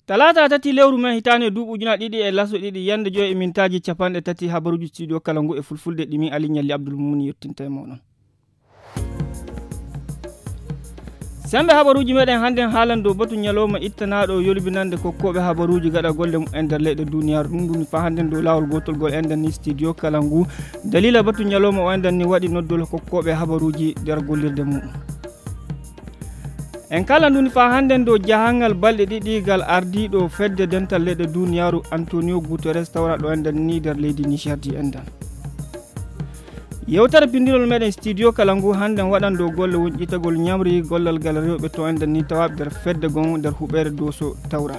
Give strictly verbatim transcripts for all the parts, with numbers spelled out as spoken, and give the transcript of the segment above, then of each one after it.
Talaata tati lewru men hitaande duuɓi ujunaaji ɗiɗi e laso ɗiɗi, yande joyi e mintaaji capanɗe tati, habaruuji studio kala ngu e fulfulde ɗi min Ali Ñalli Abdul Mumuni yottinta e mooɗon. Sembe habaruuji meɗen hannden haalan dow batu ñalawma ittanaaɗo yolbinande kokkooɓe habaruuji gaɗa golle mum en nder leyɗe duniyaaru. Ɗum ɗum faa hannden dow laawol gootol gol enɗan ni studio kala ngu. Dalila batu ñalawma o enɗan ni waɗi noddol kokkooɓe habaruuji nder gollirde mum. En kala nduni faa hannden dow jahangal balɗe ɗiɗi gal ardiiɗo fedde dental leyɗe duniyaaru Antonio Guterres tawraɗo enɗan ni nder leydi Niger di enɗan. Yewtere pinndinol meɗen studio kala ngu hannden waɗan dow golle wonƴitagol ñamri gollal gal rewɓe to enɗan ni tawaaɓe nder fedde gon nder huɓeere Dooso tawra.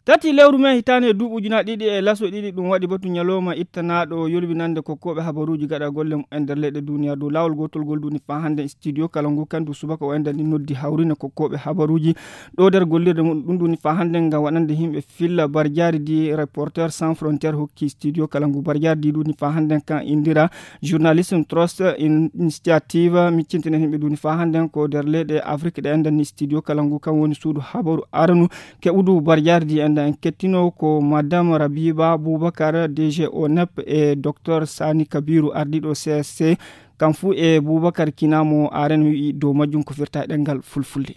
Tati lewru men hitaande e duuɓi ujunaaji ɗiɗi e laso ɗiɗi, ɗum waɗi batu ñalawma ittanaaɗo yolbinande kokkooɓe habaruuji gaɗa golle mum en nder leyɗe duniyaaru. Dow laawol gootol gol duni faa hannden studio kala ngu kandu subaka o enɗan ni noddi hawrine kokkooɓe habaruuji ɗo nder gollirde mum. Ɗum duni faa hannden ngam waɗande yimɓe filla barjaari di Reporters sans frontières hokki studio kala ngu. Barjaari di duni faa hannden kan indira Journalism Trust Initiative, miccintinen yimɓe duni faa hannden ko nder leyɗe Afrik ɗe enɗan ni studio kala ngu kan woni suudu habaru aranu keɓudu barjaari di enɗan. En kettino ko Madame Rabiba Boubacar, D G O N E P, e Docteur Sani Kabiru, ardiiɗo C S C, kam fuu e Boubacar Kinamo Aren wi'i dow majjum ko firta e ɗemngal fulfulde.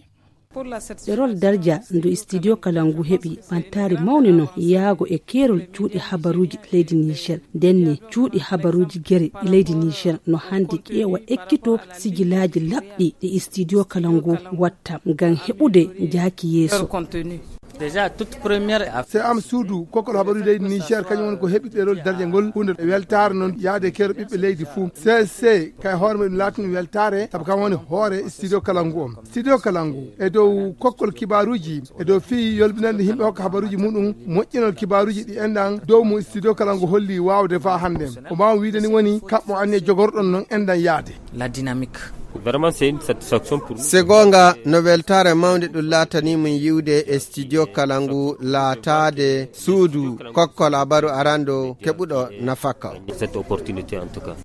Ɗerol darja ndu studio kala ngu heɓi ɓantaare mawne non yaago e keerol cuuɗi habaruuji leydi Niger. Ndenne cuuɗi habaruuji gere leydi Niger no hannde ƴeewa ekkito sijilaaji laɓɗi ɗi studio kala ngu watta ngam heɓude jaaki yeeso. Se am suudu kokkol habaruuji leydi Niger kañum woni ko heɓi ɗerol darja ngol, huunde weltaare noon yaade keero ɓiɓɓe leydi fuu. C S C kay hoore mum ɗum laatino weltaare sabu kam woni hoore studio kala ngu on. Studio kala ngu e dow kokkol kibaaruuji, e dow fii yolbinande yimɓe hokka habaruuji muɗum, moƴƴinol kibaaruuji ɗi enɗan dow mo studio kala ngu holli waawde faa hannde. Ko mbaaw wiide ni woni kaɓɓo anniya jogorɗon noon enɗan yaade. La dynamique. Vraiment, c'est une satisfaction pour nous. Se goonga no weltaare mawnde ɗum laatanii min yiwde e studio kala ngu laataade suudu kokkol habaru arando keɓuɗo nafaka. Cette opportunité en tout cas.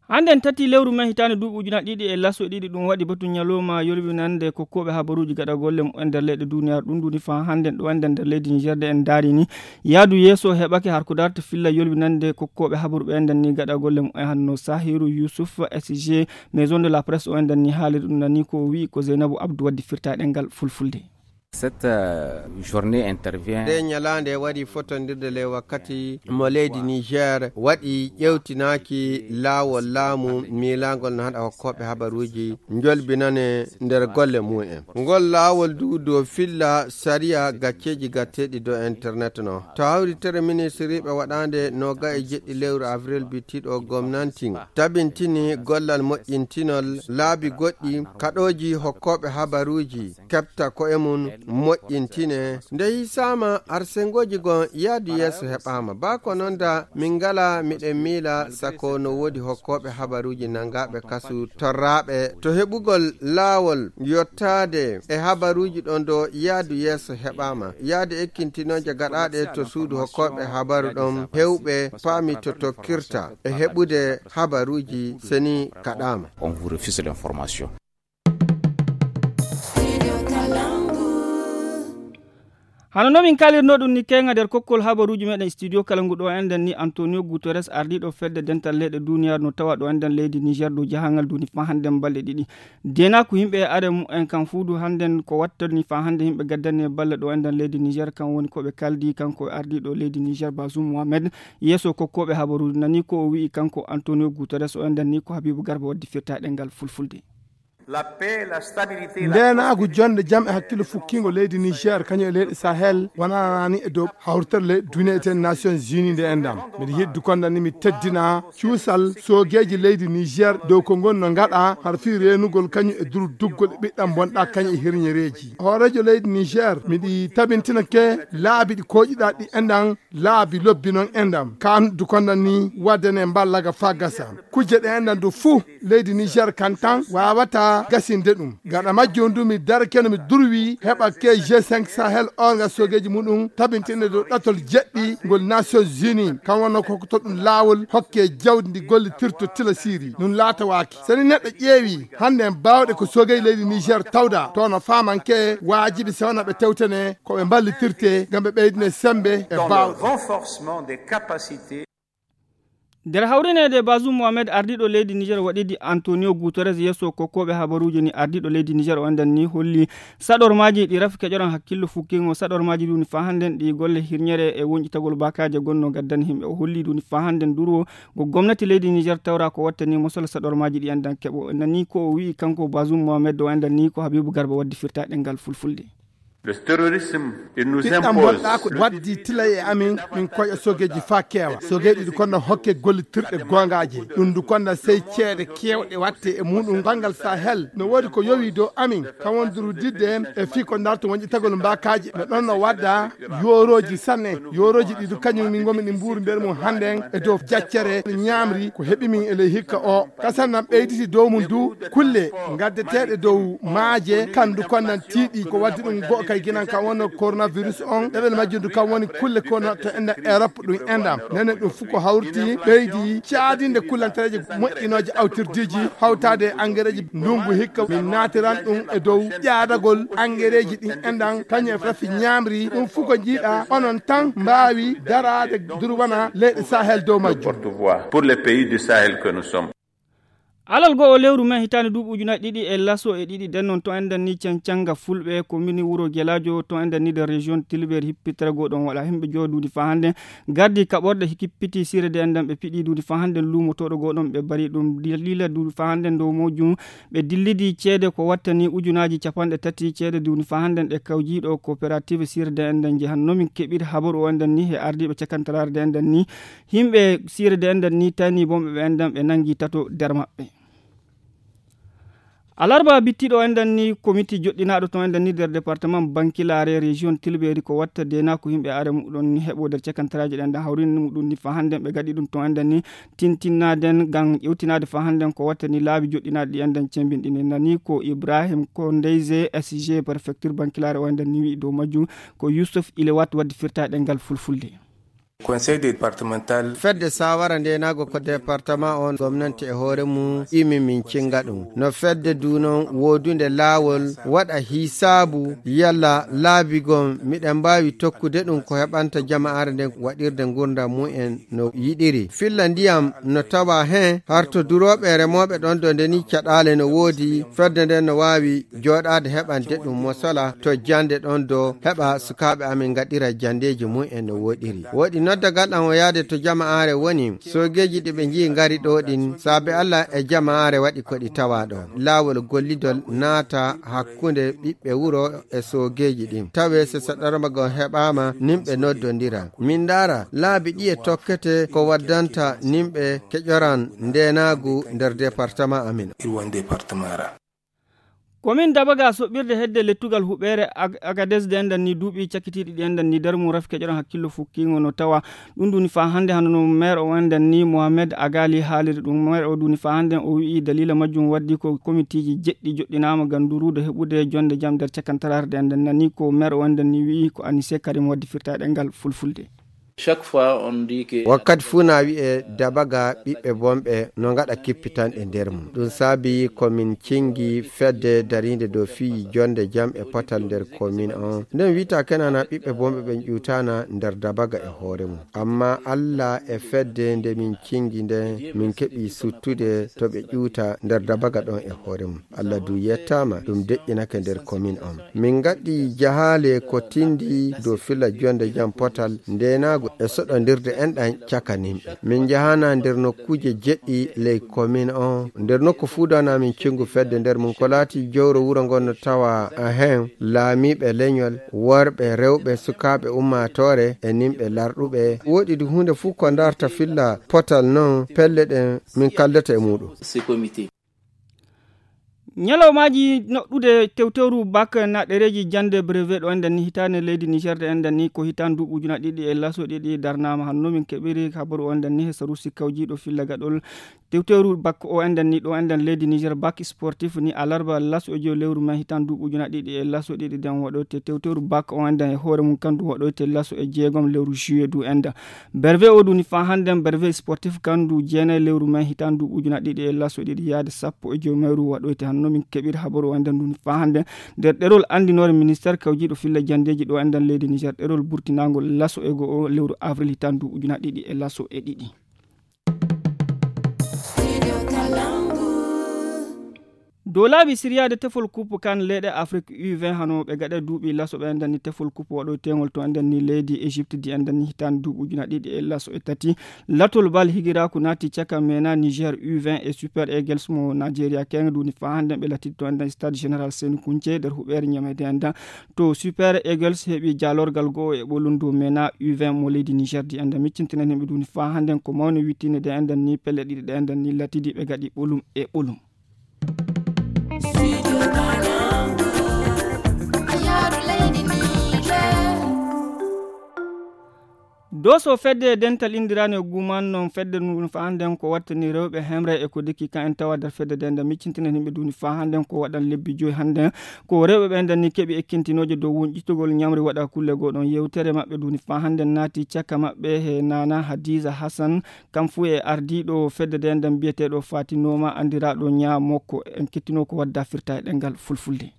Hannden tati lewru men hitaande duuɓi ujunaaji ɗiɗi e laso ɗiɗi, ɗum waɗi batu ñalawma yolbinande kokkooɓe habaruuji gaɗa golle mum en nder leyɗe duniyaaru. Ɗum ɗuni faa hannden ɗo enɗan nder leydi Niger de en ndaari ni yaadu yeeso heɓake har ko darta filla yolbinande kokkooɓe habaru ɓe enɗan ni gaɗa golle mum en hanno Sahiru Yusuf S G Maison de la Presse o enɗan ni haaliri ɗum nani ko o wi'i ko Zeynabu Abdu waddi firta e ɗemngal fulfulde. Cette, euh, journée intervient. Nde ñalaande waɗi fotondirde le wakkati mo leydi Niger waɗi ƴewtinaaki laawol laamu miilaangol no haɗa hokkooɓe habaruuji njolbinane nder golle mum en. Ngol laawol du dow filla sariya gacceeji gatteeɗi dow internet no. To hawritere ministiriiɓe waɗaande nooga e jeɗɗi lewru avril bittiiɗo gomnantin tabintini gollal moƴƴintinol laabi goɗɗi kaɗooji hokkooɓe habaruuji keɓta ko'e mum moƴƴintine. Nde hisaama arsengooji gon yaadu yeeso heɓaama. Baa ko noon da min ngala miɗen miila sako no woodi hokkooɓe habaruuji nangaaɓe kasu torraaɓe to heɓugol laawol yottaade e habaruuji ɗon do yaadu yeeso heɓaama. Yaade ekkintinooje gaɗaaɗe to suudu hokkooɓe habaru ɗon hewɓe paami to tokkirta e heɓude habaruuji seni kaɗaama. On vous refuse l'information. Hano no min kalirno ɗum ni keŋa nder kokkol habaruuji meɗen studio kala ngu ɗo enɗen ni Antonio Guterres ardiiɗo fedde dental leyɗe duniyaaru no tawa ɗo enɗen leydi Niger dow jahangal duni faa hannden balɗe ɗiɗi. Deenaaku yimɓe e are mum en kan fuu du hannden ko wattani faa hannde yimɓe gaddani e balla ɗo enɗen leydi Niger kan woni ko ɓe kaldi kanko e ardiiɗo leydi Niger Bazoum Mohamed yeeso kokkooɓe habaruuji nani ko o wi'i kanko Antonio Guterres o enɗen ni ko Habibu Garba waddi firta e ɗemngal fulfulde. Ndeenaagu, jonnde jam e hakkillo fukkiingo leydi Niger kañum e leyɗe Sahel wonanaani e dow hawritere leyɗe duniya etee Nations Unies nde enɗam. Miɗo yiɗi konda ni mi teddina cuusal soogeeji leydi Niger dow ko ngoni no ngaɗa har fii reenugol kañum e durduggol e ɓiɗɗam bonɗa kañum e hirñereeji. Hooreejo leydi Niger, miɗi tabintina ke laabi ɗi kooƴiɗaa ɗi enɗam laabi lobbi noon enɗam. Kaan du konda ni wadde ne mballaga faa gasa. Kujje ɗe enɗam du fuu leydi Niger kan tan waawata gasinde ɗum. Gaɗa majjum ndu mi darakeno mi durwi heɓa ke G cinq Sahel o nga sogeeji muɗum tabintinde dow ɗatol jeɗɗi ngol Nations Unies. Kam wonno ko hokkoto ɗum laawol hokke jawdi ndi gollitirto tila Siri. Ɗum laatawaaki. Seni neɗɗo ƴeewi hannde en baawɗe ko sogeeji leydi Niger tawda, to no faamanke waajibi sewna ɓe tewtene ko ɓe mballitirte ngam ɓe ɓeydine sembe e baawɗe. Renforcement des capacités. Nder hawrineede, Bazoum Mohamed, ardiiɗo leydi Niger, waɗidi Antonio Guterres yeeso kokkooɓe habaruuji ni. Ardiiɗo leydi Niger o enɗan ni holli saɗormaaji ɗi rafi keƴoran hakkillo fukkingo. Saɗormaaji ɗi woni faa hannden ɗi golle hirñere e wonƴitagol baakaaje gonno gaddani yimɓe. O holli ɗum faa hannden durwo ngo gomnati leydi Niger tawra ko wattani mosol saɗormaaji ɗi enɗan keɓo. Nani ko o wi'i kanko Bazoum Mohamed o enɗan ni ko Habibu Garba waddi firta ɗengal fulfulde. Le terrorisme, il nous ɓiɗɗam impose bonɗa ko waddi tila e amin min koƴa sogeeji faa keewa. Sogeeji ɗi konna hokke gollitirɗe goongaaje. Ɗum ndu konna sey ceede keewɗe watte e muɗum banngal Sahel. No woodi ko yowi dow amin kam won durudidde en e fii ko ndarto wonƴitagol mbaakaaji. No ɗon no wadda yoorooji sanne. Yoorooji ɗi du kañum min ngomi ɗi mbuuru nder mum hannden e dow jaccere ñaamri ko heɓi min e ley hikka o. Kasan nan ɓeyditi dow mum du kulle gaddeteeɗe dow maaje kandu konnan tiiɗi ko waddi ɗum go'o kay ginan kan wonno coronavirus on. Ɗeɓel majjum du kam woni kulle kono to enɗan Europe ɗum enɗan nene ɗum fof ko hawriti ɓeydi caadinde kullantereeje moƴƴinooje awtirdiiji hawtaade e angereeji ndungu hikka min naatiran ɗum e dow ƴaadagol angereeji ɗin enɗan kañum e rafi ñaamri ɗum fof ko njiiɗa onon tan mbaawi daraade durwana leyɗe Sahel dow majjum. Porte-voix pour les pays du Sahel que nous sommes. Alal goo o lewru men hitaande duuɓi ujunaaji ɗiɗi e laso e ɗiɗi ɗen noon to enɗan ni cancanga fulɓe ko mini wuro Gelaajo to enɗan ni nder région Tilbeeri hippitere goo ɗon waɗa himɓe joo duuɗi faa hannden gardi kaɓorɗe hikippiti sirede enɗan ɓe piɗi duuɗi faa hannden luumotooɗo goo ɗon ɓe bari ɗum dalila duuɗi faa hannden dow mojum ɓe dillidi ceede ko wattani ujunaaji capanɗe tati ceede duuɗi faa hannden ɗe kawjiiɗo coopérative sirede enɗan njehan no min keɓiri habaru o enɗan ni he ardiiɓe cakantaraare de enɗan ni. Yimɓe sirede enɗan ni tani bomɓe ɓe enɗan ɓe nangi tato nder maɓɓe. Alarba bittiɗo enɗan ni komiti joɗɗinaaɗo to enɗan ni nder département Bankilaare région Tilbeeri ko watta dena ko yimɓe are muɗon ni heɓo nder cakantaraaji ɗen ɗan hawrini muɗum ni faa hannden ɓe gaɗi ɗum to enɗan ni tintinnaden ngam ƴewtinaade faa hannden ko watta ni laabi joɗɗinaaɗi ɗi enɗan cembinɗini nani ko Ibrahim Kondeyze S G préfecture Bankilaare o enɗan ni wi'i dow majjum ko Yusuf Ilewat waddi firta ɗengal fulfulde. Conseil départemental. Fedde saawara ndeenaago ko département on gomnanti e hoore mum imi min cinga ɗum no fedde du noon woodunde laawol waɗa hisaabu yalla laabi gom miɗen mbaawi tokkude ɗum ko heɓanta jama'aare nden waɗirde ngurndam mumen no yiɗiri filla ndiyam no tawa heen harto durooɓe e remooɓe ɗon do ndeni caɗaale no woodi fedde nden no waawi jooɗaade heɓande ɗum mo sola to jannde ɗon do heɓa sukaaɓe amin ngaɗira janndeeji mum en no woɗiri woɗi noddagal am o yaade to jama'aare woni soogeeji ɗi ɓe njii ngari ɗo ɗin saabe Allah e jama'aare waɗi ko ɗi tawa ɗo laawol gollidol naata hakkunde ɓiɓɓe wuro e soogeeji ɗin tawe so saɗarma gon heɓaama nimɓe noddondira min ndaara laabi ɗi e tokkete ko waddanta nimɓe keƴoran ndeenaagu nder département amin. Irwan département ra. Komin Dabaga soɓɓirde hedde lettugal huɓeere Agadez de enɗan ni duuɓi cakkitiiɗi ɗi enɗan ni nder mum rafi keƴoran hakkillo fukkiingo no tawa ɗum ɗuni faa hannde hano no maire o enɗan ni Mohamed Agali haaliri ɗum maire o ɗuni faa hannde o wi'i dalila majjum waddi ko komitiiji jeɗɗi joɗɗinaama ngam durude heɓude jonde jam nder cakantaraare de enɗan nani ko maire o enɗan ni wi'i ko Anise Karim waddi firta ɗengal fulfulde. Chaque fois on dit que wakkati fuu na wi'e Dabaga ɓiɓɓe bonɓe no ngaɗa kippitanɗe nder mum ɗum saabi ko min cingi fedde dariinde dow fii jonde jam e potal nder komin on nden wi'ta kenana ɓiɓɓe bonɓe ɓen ƴuutana nder Dabaga e hoore mum amma Allah e fedde nde min cingi nden min keɓi suttude to ɓe ƴuuta nder Dabaga ɗon e hoore mum Allah du yettaama ɗum deƴƴinake nder komin on min ngaɗi jahaale ko tindi dow filla jonde jam potal ndeenaagu e soɗondirde enɗan caka nimɓe min njahana nder nokkuuje jeɗɗi ley komin on nder nokku fuu dana min cingu fedde nder mum ko laati jowro wuro ngon no tawa heen laamiiɓe leñol worɓe rewɓe sukaaɓe ummaatoore e nimɓe larɗuɓe woɗi du huunde fuu ko ndarta filla potal non pelle ɗen min kaldata e muuɗum. Ñalawmaaji noɗɗude tewtewru bak na ɗereeji jannde brevet ɗo enɗen ni hitaande leydi Niger ɗe enɗen ni ko hitaande duuɓi ujuna ɗiɗi e laso ɗiɗi darnaama. Hanno min keɓiri habaru o enɗen ni he sarusi kawjiiɗo filla gaɗol tewtewru bak o enɗen ni ɗo enɗen leydi Niger bak sportif ni alarba laso e joyi lewru mai hitaande duuɓi ujuna ɗiɗi e laso ɗiɗi den waɗoyte tewtewru bak o enɗen e hoore mum kandu waɗoyte laso e jeegom lewru juillet du enɗen. Berve o duni fa hannden berve sportif kandu jeenay lewru mai hitaande duuɓi ujuna ɗiɗi e laso ɗiɗi yaade sappo e joyi mayru waɗoyte hanno min keɓir habaru o enɗen duni fa hannden nder ɗerol anndinoore ministeer kawjiiɗo filla janndeeji ɗo enɗen leydi Niger ɗerol burtinaangol laso e go'o lewru avril hitaande duuɓi ujuna ɗiɗi e laso e ɗiɗi. Dow laabi siryaade tefol kupu kan leyɗe afrik u vingt hano ɓe gaɗa duuɓi laso ɓe enɗen ni tefol kupu waɗoytengol to enɗen ni leydi égypte di enɗen ni hitaande duuɓi ujuna ɗiɗi e laso e tati. Latol bal higiraaku naati caka mena niger u vingt e super eagles mo nigeria keng duni fa hannden ɓe latidi to enɗen stade général seni kunce nder huɓeere ñamede enɗen. To super eagles heɓi jaalorgal go'o e ɓolum dow mena u vingt mo leydi niger di enɗen miccintinan himɓe duni fa hannden ko mawni wittinde de enɗen ni pelle ɗiɗi ɗe enɗen ni latidi ɓe gaɗi ɓolum e ɓolum. Doso fedde dental indirande guman non fedde ndu fa hannden ko wattani rewɓe hemre e ko dikki kan en tawa nder fedde de nde miccintinen yimɓe duni fa hannden ko waɗan lebbi joyi hannden. Ko rewɓe ɓe nden ni keɓi ekkintinooje dow wonƴitugol ñamri waɗa kulle goo ɗon yewtere maɓɓe duni fa hannden naati caka maɓɓe he nana hadiza hassan. Kam fuu e ardiiɗo fedde de nden biyeteeɗo fatinoma andiraaɗo ñaa mokko en kettinoo ko wadda firta e ɗengal fulfulde.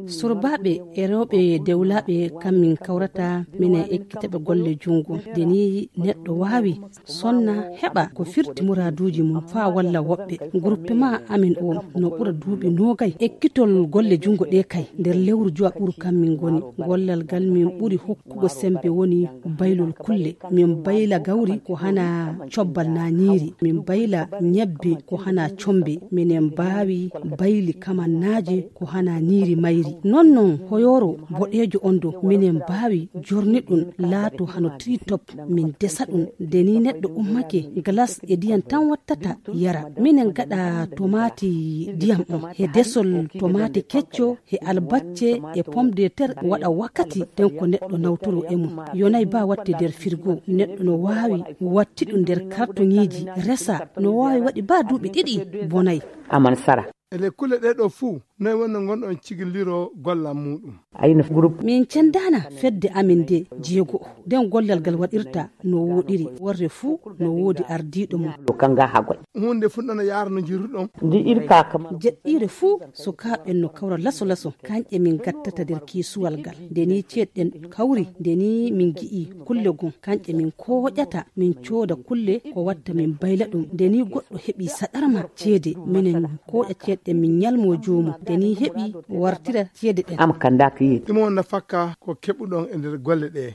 Surbaɓe e rewɓe dewlaɓe kam min kawrata minen ekkitaɓe golle jungo. Nde ni neɗɗo wawi sonna heɓa ko firti muraduji mum fa walla woɓɓe. Groupement amin o no ɓura duuɓi nogay ekkitol golle jungo ɗe kay. Nder lewru jowa ɓuru kam min goni gollal ngal min ɓuri hokkugo sembe woni baylol kulle. Min bayla gawri ko hana cobbal na ñiiri. Min bayla ñebbe ko hana combe. Minen mbaawi bayli kamannaaje ko hana ñiiri mayri. Non non hoyoro boɗeejo on do minen mbaawi jorni ɗum laato hano tritop. Min desa ɗum nde ni neɗɗo ummake glace e ndiyam tan wattata yara. Minen gaɗa tomaati ndiyam on he desol tomaati kecco he albacce e pomme de terre waɗa wakkati den ko neɗɗo nawtoro e mum. Yonay ba watte nder firgo neɗɗo no waawi watti ɗum nder kartoŋiiji resa no waawi waɗi ba duuɓi ɗiɗi bonay. Aman sara. E ley kulle ɗee ɗoo fuu noy wonno ngonɗon cigilliro gollal muuɗum? Ayno groupe min cendaana fedde amin nde jeego nden gollal ngal waɗirta no wooɗiri worre fuu no woodi ardiiɗo mum. Ɗo kanga ha goy. Huunde fuɗɗana yaara no njirruɗon. Ndi irka kama. Jeɗɗiire fuu sukaaɓe no kawra laso laso kanƴe min gattata nder kiisuwal ngal. Nde ni ceeɗɗen kawri nde ni min gi'i kulle gom kanƴe min kooƴata min cooda kulle ko watta min bayla ɗum. Nde ni goɗɗo heɓi saɗarma ceede minen kooƴa ceeɗɗen min ñalmo joomum nde ni heɓi wartira ceede ɗen. Am kandaki. Ɗum on nafakka ko keɓuɗon e nder golle ɗe.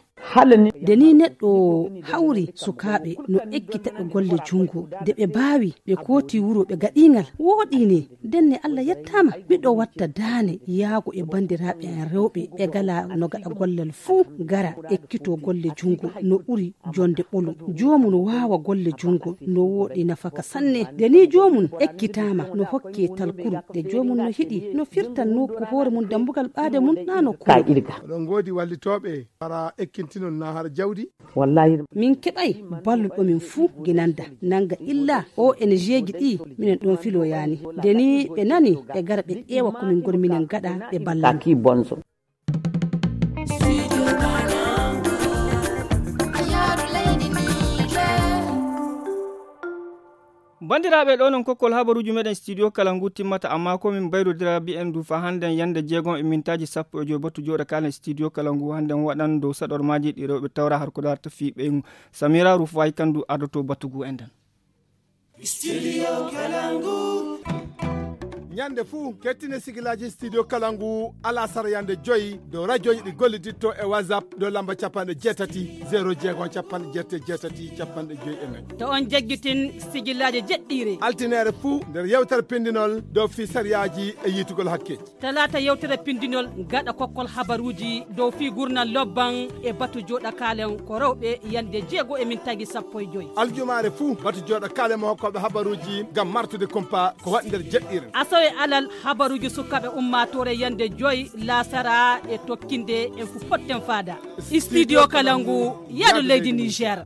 Nde ni neɗɗo hawri sukaaɓe no ekkitaɓe golle jungo nde ɓe baawi ɓe kooti wuro ɓe gaɗingal wooɗi ni. Ndenne allah yettaama miɗo watta daane yaago e banndiraaɓe en rewɓe ɓe gala no gaɗa gollal fuu gara ekkito golle jungo no ɓuri jonde ɓolum. Joomum waawa golle jungo no wooɗi nafaka sanne. Nde ni joomum ekkitaama no hokke talkuru nde joomum no hiɗi no firtan nokku hoore mum dambugal ɓaade mum na no kuru. Oɗon ngoodi wallitooɓe hara ekkintinon na hara jawdi? Wallahi. Min keɓay balluɗo min fuu ginanda nanga illa o ene jeegi ɗi minen ɗon filoyani nde ni ɓe nani ɓe gara ɓe ƴeewa ko min ngoni minen gaɗa ɓe balla. Kaki bonzo. Banndiraaɓe ɗo non kokkol habaruuji meɗen studio kala ngu timmata amma ko min mbayrodira mbiyen du fa hannden yannde jeegom e mintaaji sappo e joy batu jooɗa kaalen studio kala ngu hannden waɗan dow saɗormaaji ɗi rewɓe tawra har ko darta fii ɓeygu. Samira rufayi kandu ardoto batu ngu e nden. Studio kala ngu. Ñande fuu, kettine sigilaaji Studio Kalangu alasara yande joyi dow rajooji ɗi golliditto e WhatsApp dow lamba capanɗe jeetati, zero jeego, capanɗe jeetati, jeetati, capanɗe joyi e nayi. To on jaggitin sigilaaji jeɗɗiire. Altineere fuu nder yewtere pindinol dow fii sariyaaji e yiitugol hakkeeji. Talaata yewtere pindinol gaɗa kokkol habaruuji dow fii gurnal lobban e batu jooɗa kaalen ko rewɓe yande jeego e min tagi sappo e joyi. Aljumaare fuu batu jooɗa kaalen mo hokkooɓe habaruuji ngam martude kumpa ko waɗi nder jeɗɗiire. Asawe alal habaruuji sukaaɓe ummaatoore yande joyi laasara e tokkinde en fu potten faada. Studio Kalangu, yaadu leydi Niger.